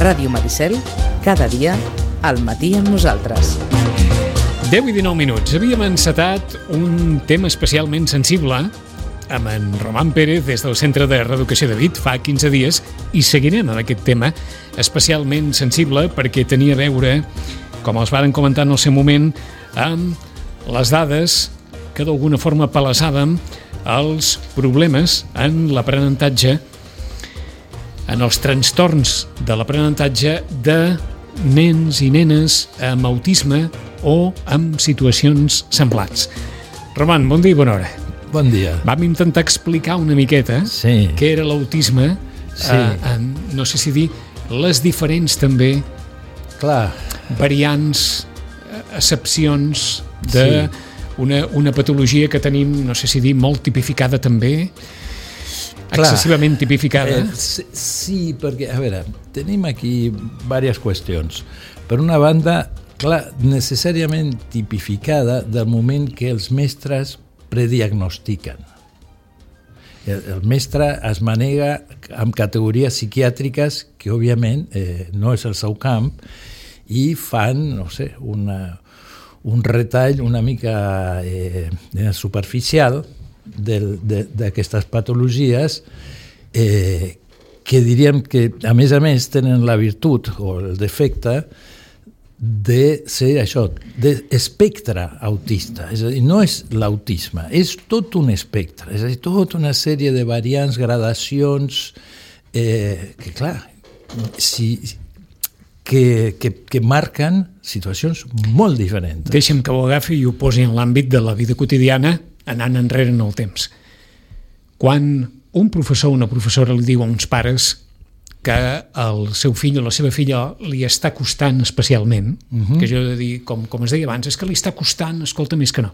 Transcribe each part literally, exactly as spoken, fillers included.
Ràdio Maricel, cada dia, al matí amb nosaltres. deu i dinou minuts. Havíem encetat un tema especialment sensible amb en Román Pérez des del Centre de Reeducació de Vic fa quinze dies i seguirem amb aquest tema especialment sensible perquè tenia a veure, com els varen comentar en el seu moment, amb les dades que d'alguna forma palesàvem els problemes en l'aprenentatge, en els trastorns de l'aprenentatge de nens i nenes amb autisme o amb situacions semblants. Román, bon dia i bona hora. Bon dia. Vam intentar explicar una miqueta sí. què era l'autisme, sí. eh, en, no sé si dir, les diferents també Clar. variants, accepcions de sí. una, una patologia que tenim, no sé si dir, molt tipificada també, Clar. excessivament tipificada. Eh, sí, sí, perquè, a veure, tenim aquí diverses qüestions. Per una banda, clar, necessàriament tipificada del moment que els mestres prediagnostiquen. El, el mestre es manega amb categories psiquiàtriques que, òbviament, eh, no és el seu camp i fan, no sé, una, un retall una mica eh, superficial d'aquestes patologies eh, que diríem que, a més a més, tenen la virtut o el defecte de ser això, d'espectre autista. És a dir, no és l'autisme, és tot un espectre, és a dir, tota una sèrie de variants, gradacions, eh, que clar, si, que, que, que marquen situacions molt diferents. Deixa'm que ho agafi i ho posi en l'àmbit de la vida quotidiana, anant enrere en el temps. Quan un professor o una professora li diu a uns pares que el seu fill o la seva filla li està costant especialment, uh-huh. que jo he de dir, com, com es deia abans, és que li està costant, escolta, més que no.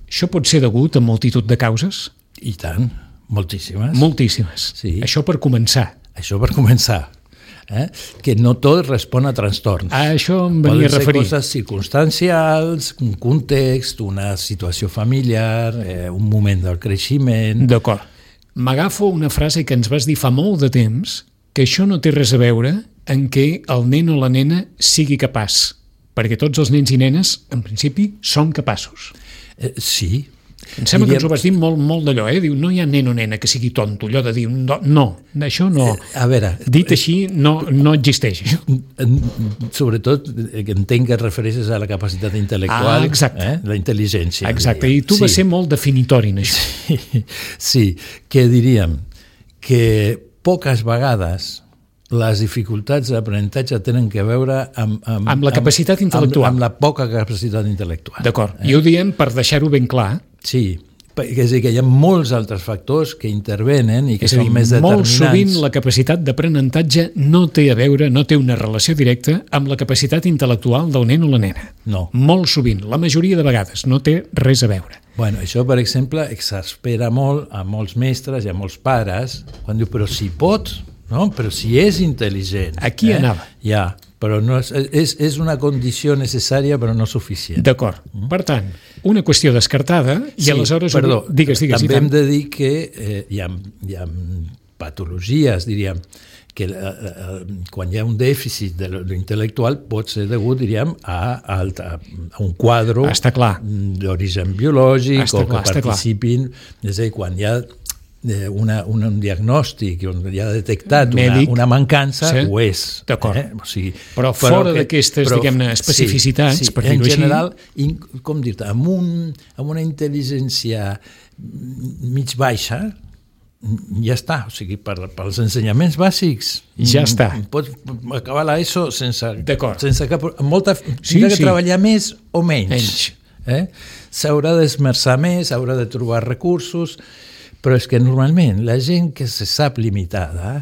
Això pot ser degut a multitud de causes? I tant, moltíssimes. Moltíssimes. Sí. Això per començar. Això per començar. Eh? Que no tot respon a trastorns. A això em venia a referir. Poden ser coses circumstancials, un context, una situació familiar, eh, un moment del creixement... D'acord. M'agafo una frase que ens vas dir fa molt de temps, que això no té res a veure en què el nen o la nena sigui capaç, perquè tots els nens i nenes, en principi, són capaços. Eh, sí. Em sembla que ens ho vas dir molt, molt d'allò, eh? Diu, no hi ha nen o nena que sigui tonto, allò de dir, no, no això no. Eh, a veure... Dit així, no, no existeix, això. Sobretot, que entenc que et refereixes a la capacitat intel·lectual, ah, exacte. Eh? La intel·ligència. Exacte, diríem. I tu sí. vas ser molt definitori en això. Sí, sí, que diríem que poques vegades les dificultats d'aprenentatge tenen que veure amb... Amb, amb la capacitat amb, intel·lectual. Amb, amb la poca capacitat intel·lectual. D'acord. Eh? I ho diem per deixar-ho ben clar. Sí, és a dir, que hi ha molts altres factors que intervenen i que és són dir, més determinants. Molt sovint la capacitat d'aprenentatge no té a veure, no té una relació directa amb la capacitat intel·lectual del nen o la nena. No. Molt sovint, la majoria de vegades, no té res a veure. Bueno, això, per exemple, exaspera molt a molts mestres i a molts pares quan diu, però si pots... No? Però si és intel·ligent... Aquí eh? anava. Ja, però no és, és, és una condició necessària però no suficient. D'acord. Mm. Per tant, una qüestió descartada i sí, aleshores... Perdó, digues, digues, també hem de dir que eh, hi, ha, hi ha patologies, diríem, que eh, quan hi ha un dèficit de l'intel·lectual pot ser degut, diríem, a, a, a un quadre d'origen biològic està o clar, que participin... És a dir, quan hi ha... Una, un, un diagnòstic on hi ha detectat una, una mancança, sí. Ho és. D'acord. Eh? O sigui, però fora d'aquestes, diguem-ne, especificitats, sí, sí. per En dir-ho així... general, in, com dir-te, amb, un, amb una intel·ligència mig baixa, ja està. O sigui, per, pels ensenyaments bàsics... Ja està. Pots acabar l'ESO sense, sense cap... Amb molta, sí, tindrà que sí. treballar més o menys. Menys. Eh? S'haurà d'esmerçar més, haurà de trobar recursos... Però és que normalment la gent que se sap limitada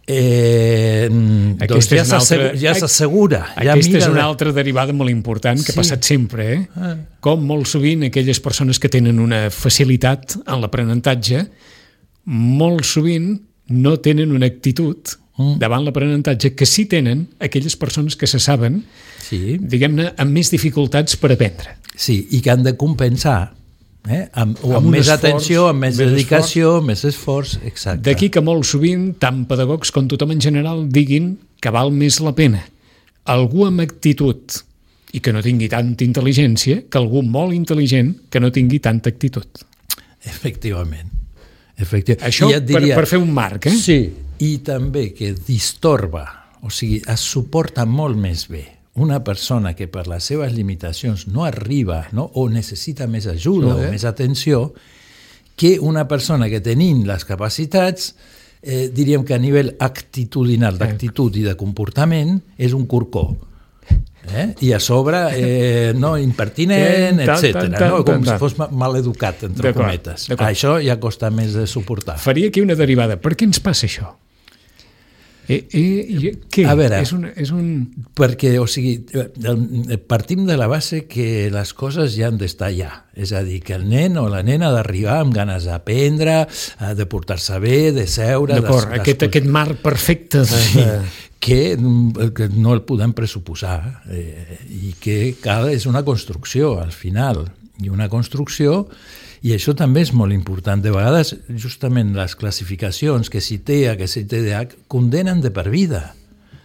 eh, doncs ja s'assegura. Ja s'assegura ja aquesta és una altra derivada molt important que sí. ha passat sempre. Eh? Ah. Com molt sovint aquelles persones que tenen una facilitat en l'aprenentatge, molt sovint no tenen una actitud mm. davant l'aprenentatge que sí tenen aquelles persones que se saben, sí. diguem-ne, amb més dificultats per aprendre. Sí, i que han de compensar Eh? Amb, o amb, amb més esforç, atenció, amb més, més dedicació, esforç. més esforç, exacte. D'aquí que molt sovint, tant pedagogs com tothom en general, diguin que val més la pena algú amb actitud i que no tingui tanta intel·ligència que algú molt intel·ligent que no tingui tanta actitud. Efectivament. Efectivament. Això ja diria, per, per fer un marc, eh? Sí, i també que distorba, o sigui, es suporta molt més bé una persona que per les seves limitacions no arriba, no? O necessita més ajuda sí, eh? o més atenció, que una persona que tenint les capacitats, eh, diríem que a nivell actitudinal, d'actitud i de comportament, és un corcó. Eh? I a sobre, eh, no, impertinent, etcètera, no? Com si fos mal educat, entre cometes. Això ja costa més de suportar. Faria aquí una derivada. Per què ens passa això? Eh, eh, què? A veure, és un, és un... perquè, o sigui, partim de la base que les coses ja han d'estar allà. És a dir, que el nen o la nena ha d'arribar amb ganes d'aprendre, de portar-se bé, de seure... D'acord, aquest, aquest marc perfecte de... Sí, que, que no el podem pressuposar eh, i que cal, és una construcció al final, i una construcció. I això també és molt important. De vegades, justament les classificacions que si T E A, que si T D A H, condenen de per vida,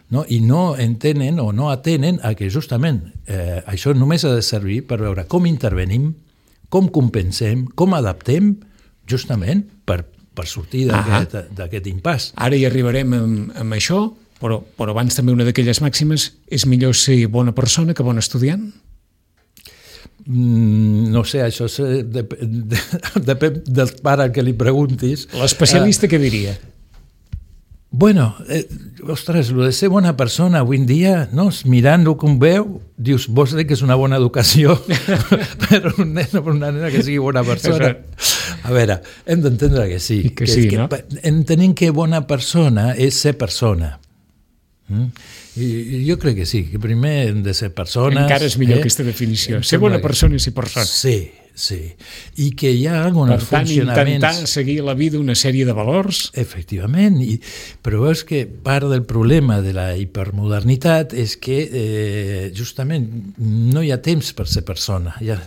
no? I no entenen o no atenen a que justament eh, això només ha de servir per veure com intervenim, com compensem, com adaptem, justament per, per sortir d'aquest impàs. Ara hi arribarem amb, amb això, però, però abans també una d'aquelles màximes, és millor ser bona persona que bon estudiant? Mm, no sé, això depèn de, de, de, del pare que li preguntis. L'especialista uh, què diria? Bueno, eh, ostres, el de ser bona persona avui en dia, no? Mirant-ho com veu, dius, vols dir que és una bona educació per un nen o per una nena que sigui bona persona? A veure, hem d'entendre que sí. I que, que sí, que, no? Entenem que bona persona és ser persona. Mm? I jo crec que sí, que primer hem de ser persones... Encara és millor eh? aquesta definició. Ser bona persona i ser persona. Sí, sí. I que hi ha alguns funcionaments... Per tant, intentar seguir la vida una sèrie de valors... Efectivament, i, però veus que part del problema de la hipermodernitat és que eh, justament no hi ha temps per ser persona. Hi ha,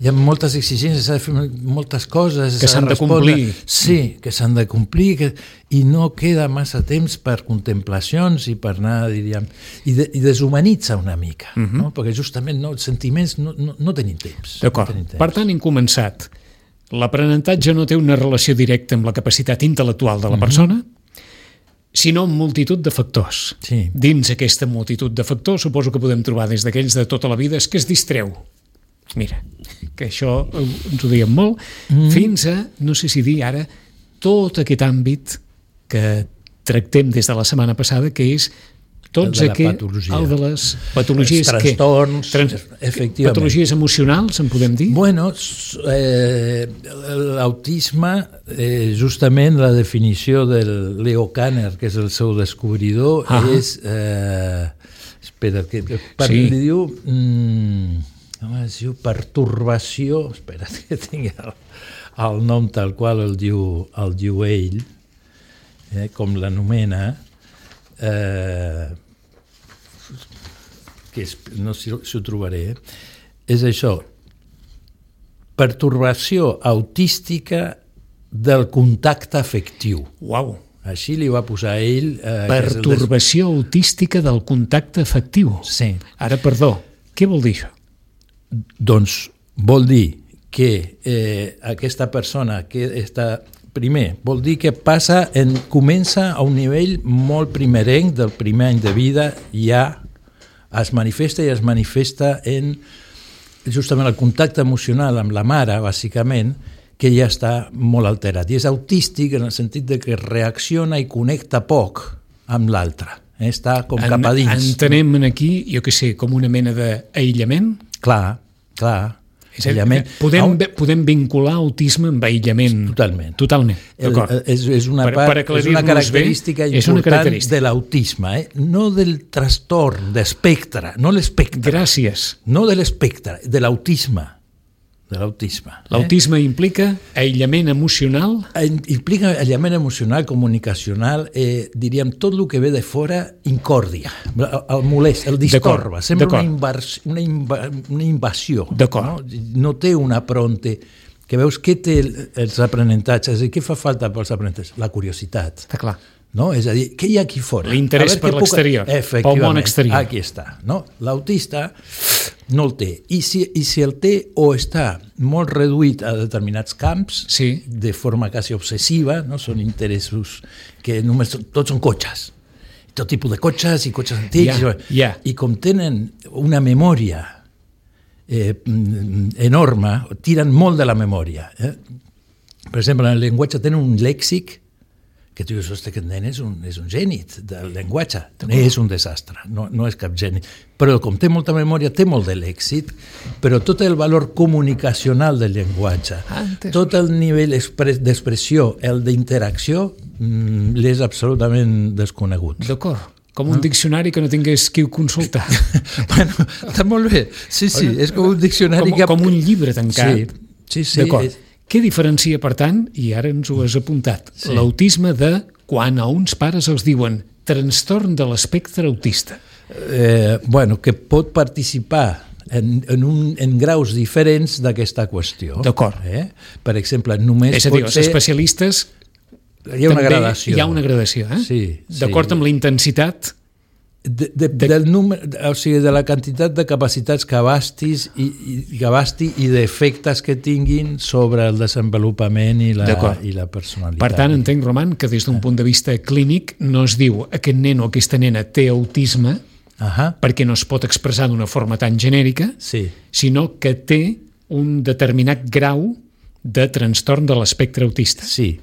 hi ha moltes exigències, s'ha de fer moltes coses... Que s'han de complir. Sí, que s'han de complir, que, i no queda massa temps per contemplacions i per anar, diríem... I, de, i deshumanitza una mica, uh -huh. no? Perquè justament no, els sentiments no, no, no tenim temps. D'acord. No tenim temps. Per tant, hem començat. L'aprenentatge no té una relació directa amb la capacitat intel·lectual de la persona, uh -huh. sinó amb multitud de factors. Sí. Dins aquesta multitud de factors suposo que podem trobar des d'aquells de tota la vida és que es distreu. Mira, que això ens ho diem molt, mm. fins a, no sé si dir ara, tot aquest àmbit que tractem des de la setmana passada, que és tots el de aquest, el de les patologies... Els trastorns, que, trans, efectivament. Patologies emocionals, en podem dir? Bueno, eh, l'autisme, eh, justament la definició del Leo Kanner, que és el seu descobridor, ah. és... Eh, espera, que, que per, sí. li diu... Mm, es diu pertorbació, espera que tingui el, el nom tal qual el diu, el diu ell, eh, com l'anomena, eh, que és, no sé si ho trobaré, és això, pertorbació autística del contacte afectiu. Uau! Així li va posar ell... Eh, pertorbació des... autística del contacte afectiu. Sí. Ara, perdó, què vol dir això? Doncs vol dir que eh, aquesta persona que està... Primer, vol dir que passa en, comença a un nivell molt primerenc del primer any de vida, ja es manifesta i es manifesta en justament el contacte emocional amb la mare, bàsicament, que ja està molt alterat. I és autístic en el sentit de que reacciona i connecta poc amb l'altre. Eh? Està com en, cap a dins. Entenem aquí, jo què sé, com una mena d'aïllament? Clar, clar. És aïllament. Podem, podem vincular autisme amb aïllament. Totalment. Totalment, d'acord. És, és, una part, per, per és una característica bé, important una característica. de l'autisme, eh? No del trastorn, d'espectre, no l'espectre. Gràcies. No de l'espectre, de l'autisme. De l'autisme. L'autisme eh? implica aïllament emocional? Implica aïllament emocional, comunicacional, eh, diríem, tot el que ve de fora incòrdia, el molest, el distorba, sembla una, invers, una, inva, una invasió. D'acord. No? no té una pronte que veus què té els aprenentatges i què fa falta pels aprenentatges? La curiositat. Està clar. No? És a dir, què hi ha aquí fora? L'interès per l'exterior, pel món exterior. Aquí està. No? L'autista no el té. I si, I si el té o està molt reduït a determinats camps, sí. de forma quasi obsessiva, no? Són interessos que només són, tots són cotxes. Tot tipus de cotxes i cotxes antics. Yeah, yeah. I com tenen una memòria eh, enorme, tiren molt de la memòria. Eh? Per exemple, en el llenguatge tenen un lèxic que tu dius, hosti, aquest nen és un, és un geni del llenguatge. És un desastre, no, no és cap geni. Però com té molta memòria, té molt de lèxic, però tot el valor comunicacional del llenguatge, ah, tot el nivell d'expressió, el d'interacció, mmm, l'és absolutament desconegut. D'acord. Com un ah. diccionari que no tingués qui ho consultar. Bueno, està molt bé. Sí, sí, és com un diccionari com, que... Com un llibre tancat. Sí, sí, sí. D'acord. És... Què diferencia, per tant, i ara ens ho has apuntat, sí. l'autisme de quan a uns pares els diuen trastorn de l'espectre autista? Eh, bueno, que pot participar en, en, un, en graus diferents d'aquesta qüestió. D'acord. Eh? Per exemple, només És a dir, pot els ser... especialistes hi ha una també gradació. Hi ha una gradació, eh? Sí, d'acord sí. amb la intensitat... De, de, de... Del número, o sigui, de la quantitat de capacitats que abastis i, i, que abasti i d'efectes que tinguin sobre el desenvolupament i la, i la personalitat. Per tant, entenc, Roman, que des d'un punt de vista clínic no es diu aquest nen o aquesta nena té autisme uh-huh. perquè no es pot expressar d'una forma tan genèrica, sí. sinó que té un determinat grau de trastorn de l'espectre autista. Sí,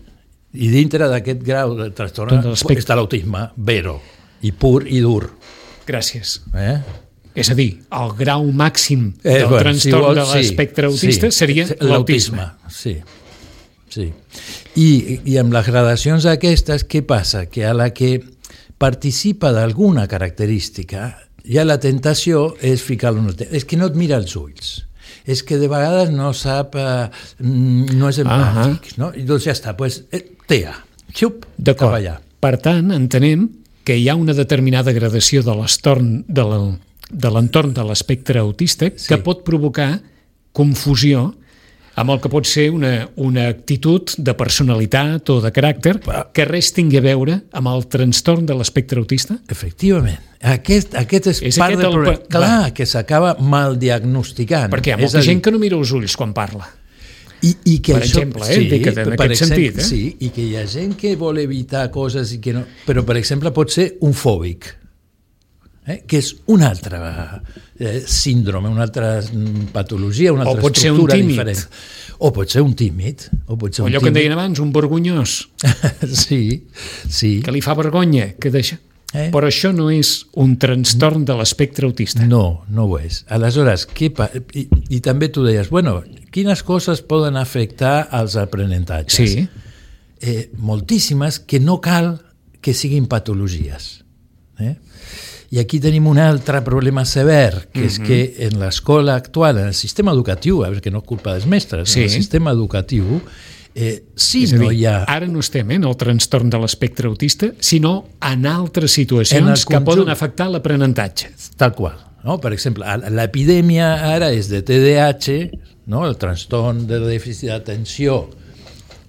i dintre d'aquest grau de trastorn està l'autisme vero, i pur i dur. Gràcies. Eh? És a dir, el grau màxim eh, del bueno, trastorn si vols, de l'espectre sí, autista sí, seria l'autisme. Sí, sí. I, I amb les gradacions aquestes, què passa? Que a la que participa d'alguna característica, ja la tentació és ficar-lo en el temps. És que no et mira els ulls. És que de vegades no sap, eh, no és empàtic. Uh-huh. No? I doncs ja està, doncs, eh, T E A. Xup, cap allà. Per tant, entenem que hi ha una determinada gradació de l'entorn de, la, de l'entorn de l'espectre autista sí. que pot provocar confusió amb el que pot ser una, una actitud de personalitat o de caràcter que res tingui a veure amb el trastorn de l'espectre autista? Efectivament. Aquest, aquest és, és part del problema. El... Clar, Va. que s'acaba mal diagnosticant. Perquè hi ha molta gent dir... que no mira els ulls quan parla. I, i que per això, exemple, eh? sí, que en per aquest exemple, sentit. Eh? Sí, i que hi ha gent que vol evitar coses i que no... Però, per exemple, pot ser un fòbic, eh? que és una altra eh, síndrome, una altra patologia, una altra o pot estructura ser un diferent. O pot ser un tímid. O, pot ser o un allò tímid. que en deien abans, un vergonyós. sí, sí. Que li fa vergonya, que deixa... Eh? Però això no és un trastorn de l'espectre autista. No, no ho és. Aleshores, què pa... I, i també tu deies, bueno, quines coses poden afectar als aprenentatges? Sí. Eh, moltíssimes que no cal que siguin patologies. Eh? I aquí tenim un altre problema sever, que mm-hmm. és que en l'escola actual, en el sistema educatiu, perquè no és culpa dels mestres, sí. en el sistema educatiu, Eh, si no dir, hi ha... Ara no estem en el trastorn de l'espectre autista, sinó en altres situacions que poden afectar l'aprenentatge. Tal qual. No? Per exemple, l'epidèmia ara és de T D A H, no? El trastorn de dèficit d'atenció,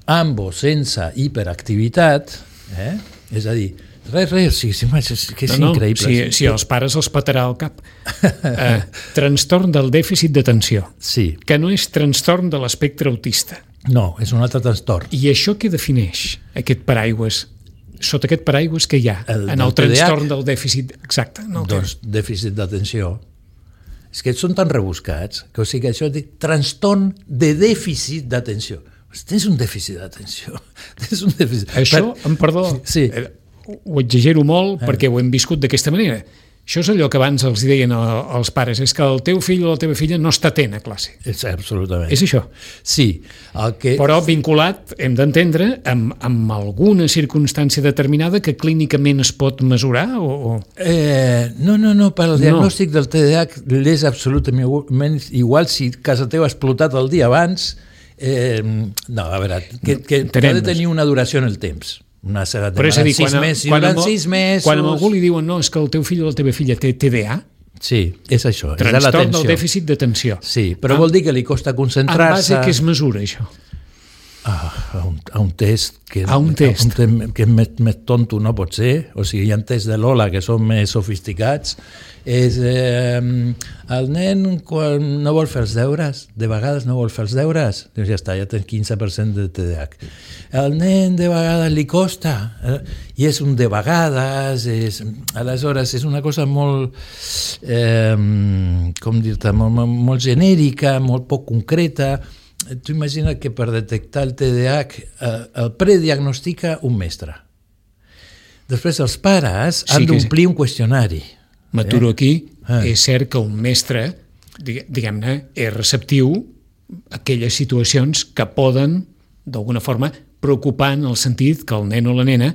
amb o sense hiperactivitat, eh? És a dir, res, res, sí, sí, que és no, no, increïble. Si, si els pares els patarà al cap. eh, trastorn del dèficit d'atenció, sí. que no és trastorn de l'espectre autista. No, és un altre trastorn. I això què defineix, aquest paraigües? Sota aquest paraigües que hi ha el, en el trastorn del dèficit... Exacte. No doncs dèficit d'atenció. És que són tan rebuscats que, o sigui, això és trastorn de dèficit d'atenció. Tens un dèficit d'atenció. Tens un dèficit... Això, per... em perdó, sí. ho exagero molt eh. perquè ho hem viscut d'aquesta manera. Això és allò que abans els deien als pares, és que el teu fill o la teva filla no està atent a classe. És absolutament. És això. Sí. El que... Però vinculat, hem d'entendre, amb, amb alguna circumstància determinada que clínicament es pot mesurar? O, o... Eh, no, no, no, per al diagnòstic no. del T D A H l'és absolutament igual si casa teva ha explotat el dia abans. Eh, no, a veure, que, que ha de tenir una duració en el temps. Una certa però és a dir, sis quan, mesos, quan, amb, sis mesos... quan a algú li diuen no, és que el teu fill o la teva filla té T D A, Sí, és això. Trastorn del dèficit d'atenció. Sí, però ah, vol dir que li costa concentrar-se... En base a què es mesura, això? Ah, a, un, a un test que, a un test. A un, que més, més tonto no pot ser. O sigui, hi ha tests de Lola que són més sofisticats. És eh, el nen quan no vol fer els deures, de vegades no vol fer els deures, doncs ja està, ja tens quinze per cent de T D A H. El nen de vegades li costa, eh, i és un de vegades, és, aleshores és una cosa molt, eh, com dir-te, molt, molt genèrica, molt poc concreta. Tu imagina que per detectar el T D A H eh, el prediagnostica un mestre. Després els pares han sí d'omplir sí. un qüestionari. M'aturo eh? aquí. Ah. És cert que un mestre, diguem-ne, és receptiu a aquelles situacions que poden, d'alguna forma, preocupar en el sentit que el nen o la nena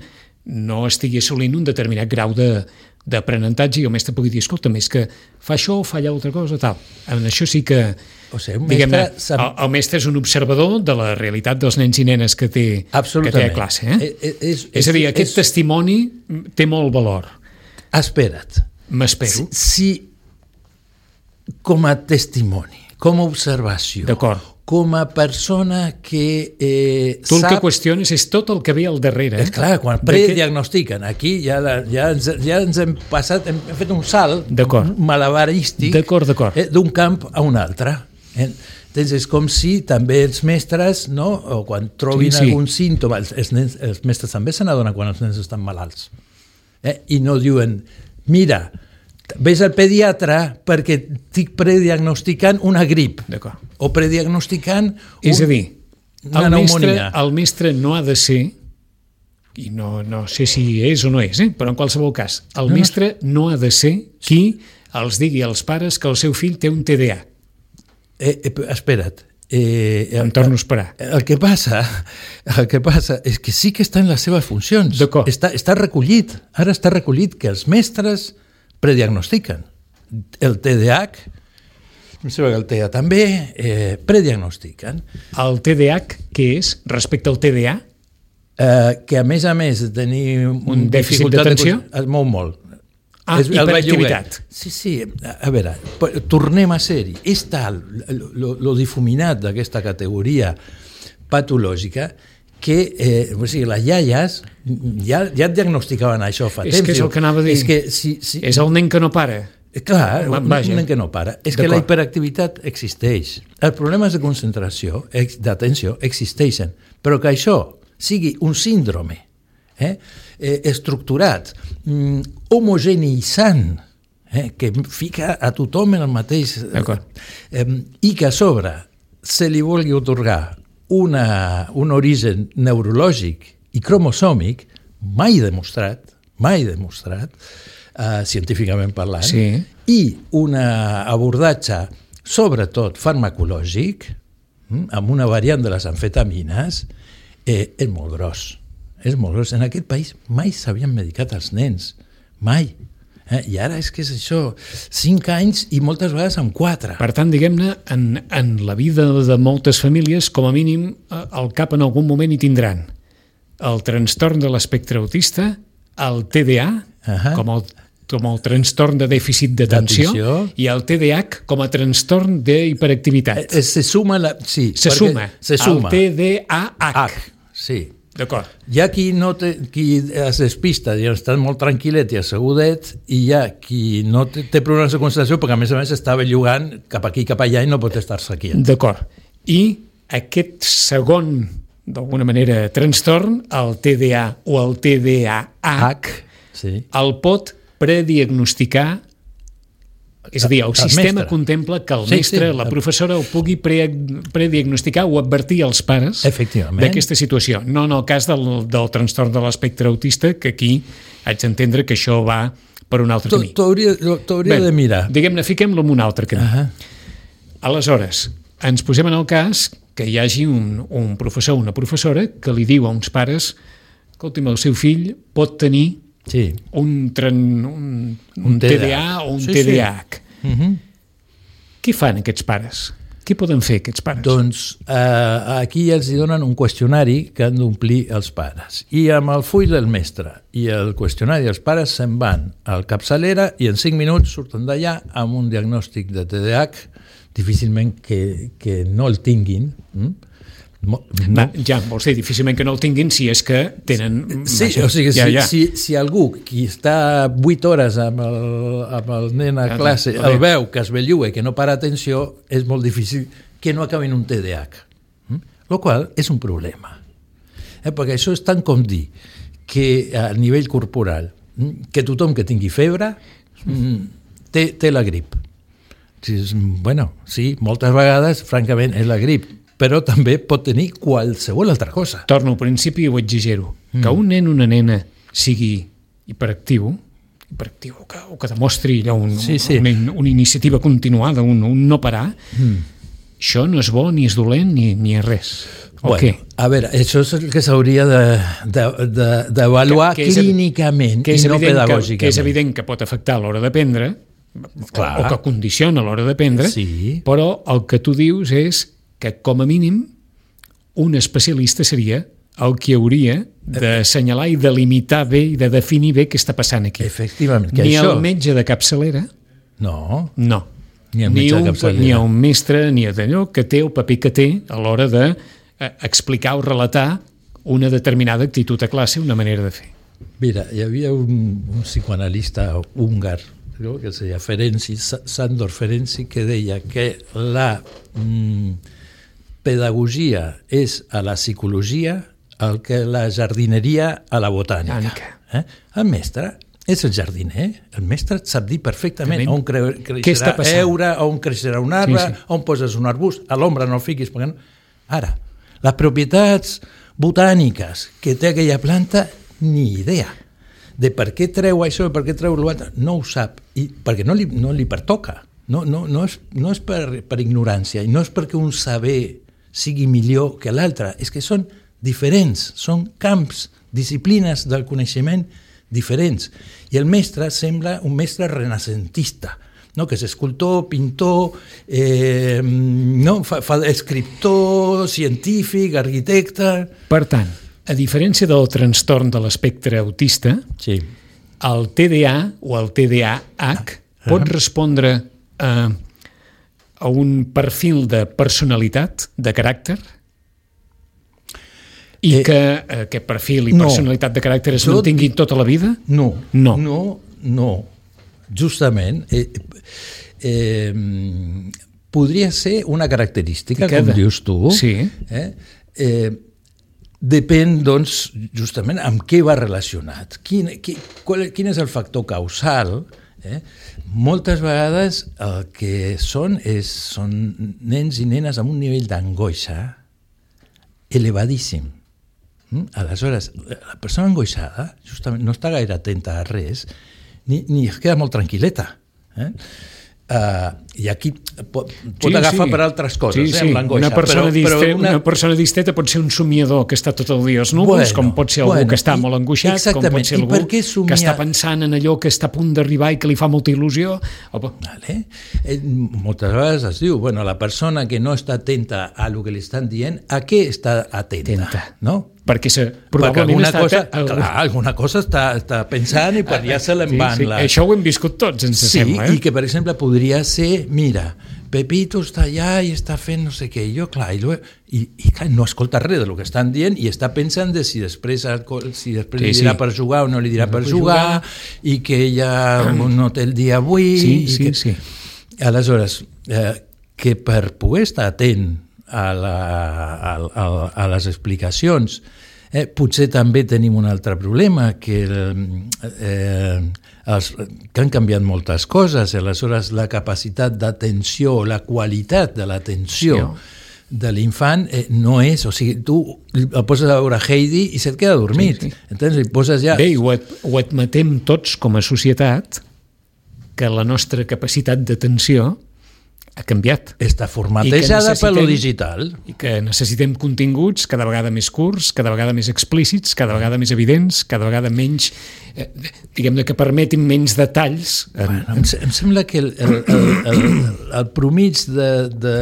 no estigui assolint un determinat grau de, d'aprenentatge i el mestre pugui dir, escolta, més que fa això o fa allà altra cosa, tal. En això sí que, o sigui, un mestre sap... el, el mestre és un observador de la realitat dels nens i nenes que té, que té a classe. Eh? És, és, és a dir, aquest és... testimoni té molt valor. Espera't. M'espero. Si, si com a testimoni, com a observació, com a persona que eh, tu el sap... que qüestiones és tot el que ve al darrere. És clar, quan prediagnostiquen, aquí ja, la, ja, ens, ja ens hem passat, hem fet un salt malabarístic eh, d'un camp a un altre. Eh? Doncs és com si també els mestres, no? O quan trobin sí, sí. algun símptoma, els, els, nens, els mestres també se n'adonen quan els nens estan malalts. Eh? I no diuen, mira, ves al pediatre perquè estic prediagnosticant una grip o prediagnosticant un, és a dir, una el pneumonia. Mestre, el mestre no ha de ser, i no, no sé si és o no és, eh? però en qualsevol cas, el no, mestre no ha de ser qui els digui als pares que el seu fill té un T D A. Eh, eh, espera't. Eh, em torno a esperar. El que passa, el que passa és que sí que està en les seves funcions. Està, està recollit. Ara està recollit que els mestres prediagnostiquen. El T D A H, em sembla que el T E A també, eh, prediagnostiquen. El T D A H, què és respecte al T D A? Eh, que a més a més de tenir un, un dèficit d'atenció? De... Es mou molt. Ah, és, hiperactivitat. Sí, sí, a veure, tornem a ser-hi. És tal lo, lo difuminat d'aquesta categoria patològica que eh, o sigui, les iaies ja, ja et diagnosticaven això fa és temps. És que és el que anava a dir. És, que, si, si... és el nen que no para. Clar, un, un nen que no para. És que la hiperactivitat existeix. Els problemes de concentració, d'atenció, existeixen. Però que això sigui un síndrome eh, eh, estructurat, mm, homogeneïtzant, eh, que fica a tothom en el mateix... Eh, i que a sobre se li vulgui otorgar una, un origen neurològic i cromosòmic mai demostrat, mai demostrat, eh, científicament parlant, sí. i un abordatge sobretot farmacològic, hm, amb una variant de les amfetamines, eh, és molt gros. És molt gros. En aquest país mai s'havien medicat els nens, mai. Eh? I ara és que és això, cinc anys i moltes vegades amb quatre. Per tant, diguem-ne, en, en la vida de moltes famílies, com a mínim, al cap en algun moment hi tindran el trastorn de l'espectre autista, el T D A, uh-huh. com, el, com el trastorn de dèficit d'atenció, i el T D A H com a trastorn d'hiperactivitat. Eh, se suma, la, sí, se suma, se suma. El T D A H. H, sí. D'acord. Hi ha qui, no té, qui es despista i està molt tranquil·let i assegudet, i hi ha qui no té, té problemes de concentració perquè a més a més està bellugant cap aquí cap allà i no pot estar-se aquí. D'acord. I aquest segon, d'alguna manera, trastorn, el T D A o el T D A H, sí. el pot prediagnosticar. És a dir, el, el sistema mestre. Contempla que el sí, mestre, sí. la professora, el pugui pre, prediagnosticar o advertir als pares d'aquesta situació. No en el cas del, del trastorn de l'espectre autista, que aquí haig d'entendre que això va per un altre camí. T'hauria de mirar. Diguem-ne, fiquem-lo en un altre camí. Uh-huh. Aleshores, ens posem en el cas que hi hagi un, un professor o una professora que li diu a uns pares, escolti'm, el seu fill pot tenir sí. un, tren, un, un T D A o un sí, T D A H. Sí. Uh-huh. Què fan aquests pares? Què poden fer aquests pares? Doncs eh, aquí els donen un qüestionari que han d'omplir els pares. I amb el full del mestre i el qüestionari dels pares se'n van al capçalera i en cinc minuts surten d'allà amb un diagnòstic de T D A H, difícilment que, que no el tinguin. Mm? No. Va, ja, vols dir, difícilment que no el tinguin si és que tenen... Sí, vaja, o sigui, ja, si, ja. Si, si algú qui està vuit hores amb el, amb el nen a Ja, classe ja, el veu que es bellua i que no para atenció, és molt difícil que no acabi en un T D A H. Mm? Lo qual és un problema. Eh? Perquè això és tant com dir que a nivell corporal, que tothom que tingui febre té, té la grip. Bueno, sí, moltes vegades, francament, és la grip, però també pot tenir qualsevol altra cosa. Torno al principi i ho exagero. Mm. Que un nen o una nena sigui hiperactiu, hiperactiu que, o que demostri allò un, sí, sí. Una, una iniciativa continuada, un, un no parar, mm. això no és bo, ni és dolent, ni, ni és res. O bueno, què? A veure, això és el que s'hauria d'avaluar de, de, de, clínicament que, que i no pedagògicament. Que, que és evident que pot afectar a l'hora d'aprendre, Clar. o que condiciona a l'hora d'aprendre, sí. Però el que tu dius és que, com a mínim, un especialista seria el que hauria d'assenyalar i de limitar bé i de definir bé què està passant aquí. Efectivament. Que ni això... el metge de capçalera, no, no. Ni, el ni, metge un, de capçalera. ni un mestre, ni d'allò que té el paper que té a l'hora de eh, explicar o relatar una determinada actitud a classe, una manera de fer. Mira, hi havia un, un psicoanalista húngar, no? Que es deia Ferenczi, Sándor Ferenczi, que deia que la mm, pedagogia és a la psicologia el que la jardineria a la botànica. Eh? El mestre és el jardiner. El mestre et sap dir perfectament on cre creixerà heura, on creixerà un arbre, sí, sí. on poses un arbust, a l'ombra no el fiquis. Perquè no... Ara, les propietats botàniques que té aquella planta, ni idea. De per què treu això, per què treu l'altre, no ho sap, i perquè no li, no li pertoca. No, no, no és, no és per, per ignorància, i no és perquè un saber sigui millor que l'altre, és que són diferents, són camps, disciplines del coneixement diferents. I el mestre sembla un mestre renacentista, no? Que és escultor, pintor, eh, no? fa, fa escriptor, científic, arquitecte... Per tant, a diferència del trastorn de l'espectre autista, sí. el T D A o el T D A H ah. pot respondre a, a un perfil de personalitat, de caràcter, i eh, que aquest perfil i no. personalitat de caràcter es jo mantinguin tota la vida? No, no, no, no. Justament, eh, eh, podria ser una característica, com dius tu, sí. eh, eh, depèn, doncs, justament amb què va relacionat. Quin, quin, qual, quin és el factor causal? Eh? Moltes vegades el que són és, són nens i nenes amb un nivell d'angoixa elevadíssim. Mm? Aleshores, la persona angoixada justament no està gaire atenta a res ni, ni es queda molt tranquil·leta. Eh? Uh, I aquí pot, pot sí, agafar sí. per altres coses, sí, eh, sí. amb l'angoixa. Una persona, però, distre... però una... una persona distreta pot ser un somiador que està tot el dia als núvols, bueno, com pot ser algú bueno, que està i, molt angoixat, com pot ser algú somia... que està pensant en allò que està a punt d'arribar i que li fa molta il·lusió. O... Vale. Eh, moltes vegades es diu, bueno, la persona que no està atenta a lo que li estan dient, a què està atenta? atenta. No? Perquè, se, Perquè alguna, està, cosa, algú... clar, alguna cosa està, està pensant i per allà se l'en van. Sí, sí. La... Això ho hem viscut tots, ens sí, sembla. Eh? I que, per exemple, podria ser, mira, Pepito està allà i està fent no sé què, i jo, clar, i, i, i clar, no escolta res del que estan dient i està pensant de si després, si després sí, li dirà sí. per jugar o no li dirà no per jugar, jugar i que ella no té el dia avui. Sí, i sí, que... sí. Aleshores, eh, que per poder estar atent a, la, a, a, a les explicacions, eh, potser també tenim un altre problema, que, eh, els, que han canviat moltes coses, aleshores la capacitat d'atenció, la qualitat de l'atenció sí. de l'infant eh, no és, o sigui, tu el poses a veure Heidi i se't queda dormit. Sí, sí. Entens? I poses ja... Bé, ho, ad, ho admetem tots com a societat, que la nostra capacitat d'atenció ha canviat. Està formatejada per lo digital. I que necessitem continguts cada vegada més curts, cada vegada més explícits, cada vegada més evidents, cada vegada menys, eh, diguem-ne, que permetin menys detalls. En... Bueno, em, em sembla que el, el, el, el, el promig de, de,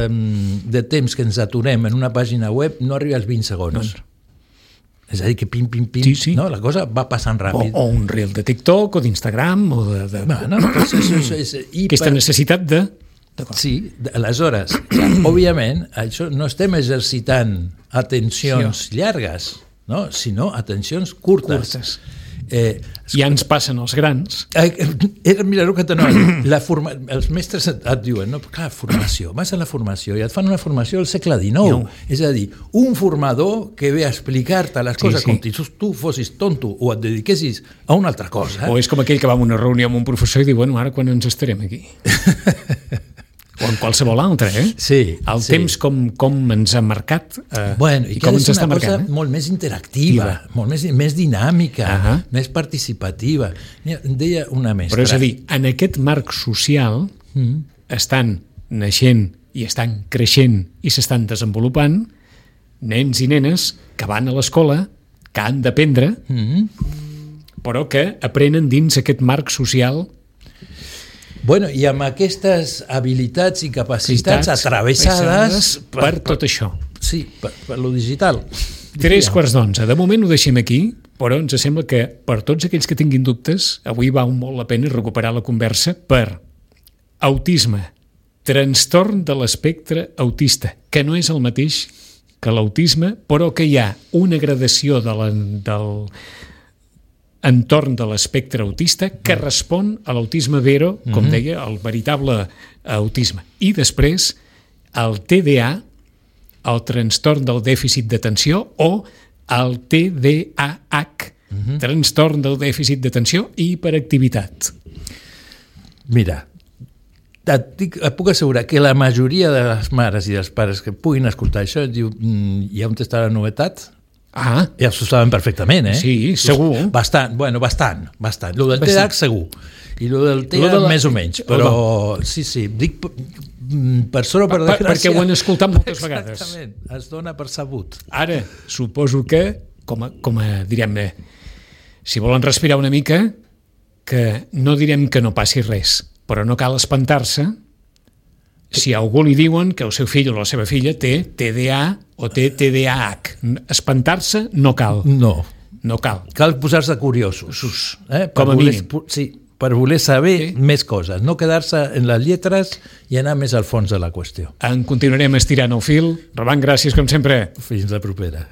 de temps que ens aturem en una pàgina web no arriba als vint segons. No. És a dir, que pim, pim, pim, sí, sí. No? La cosa va passant ràpid. O, o un reel de TikTok o d'Instagram o de... de... Bueno, pues això, és, és, i aquesta per... necessitat de... Sí, aleshores, clar, òbviament, això no estem exercitant atencions sí, llargues, no? Sinó atencions curtes. curtes. Eh, ja ens passen els grans. Eh, eh, mira, el que t'anava la forma, els mestres et, et diuen, no, clar, formació, vas a la formació i et fan una formació del segle dinou. No. És a dir, un formador que ve a explicar-te les coses sí, sí. com si tu fossis tonto o et dediquessis a una altra cosa. O és com aquell que va a una reunió amb un professor i diu, bueno, ara quan ens estarem aquí? O en qualsevol altre, eh? Sí. El sí. temps com, com ens ha marcat eh, bueno, i, i com ens està marcant. És una cosa molt més interactiva, Diva. molt més, més dinàmica, uh -huh. més participativa. Mira, deia una mestra... Però és a dir, en aquest marc social mm. estan naixent i estan creixent i s'estan desenvolupant nens i nenes que van a l'escola, que han d'aprendre, mm. però que aprenen dins aquest marc social. Bueno, i amb aquestes habilitats i capacitats atravessades per, per tot això. Sí, per, per lo digital. Tres quarts d'onze. De moment ho deixem aquí, però ens sembla que per tots aquells que tinguin dubtes, avui val molt la pena recuperar la conversa per autisme, trastorn de l'espectre autista, que no és el mateix que l'autisme, però que hi ha una gradació de la, del entorn de l'espectre autista que respon a l'autisme vero, com mm-hmm. deia, el veritable autisme. I després el T D A, el trastorn del dèficit d'atenció, o el T D A H, mm-hmm. trastorn del dèficit d'atenció i hiperactivitat. Mira, et, dic, et puc assegurar que la majoria de les mares i dels pares que puguin escoltar això diu, mm, hi ha on està la novetat? Ah. Ja s'ho saben perfectament, eh? Sí, segur. Bastant, bueno, bastant, bastant. Lo del T D A H segur. I lo del T D A H la... més o menys, però sí, sí, dic per sort o per desgràcia... Perquè ho han escoltat moltes vegades. Exactament, es dona per sabut. Ara, suposo que, com a, com a direm-ne, si volen respirar una mica, que no direm que no passi res, però no cal espantar-se si a algú li diuen que el seu fill o la seva filla té T D A o té T D A H. Espantar-se no cal. No. No cal. Cal posar-se curiosos. Eh? Com a voler, mínim. Sí, per voler saber sí. més coses, no quedar-se en les lletres i anar més al fons de la qüestió. En continuarem estirant el fil. Roman, gràcies com sempre. Fins la propera.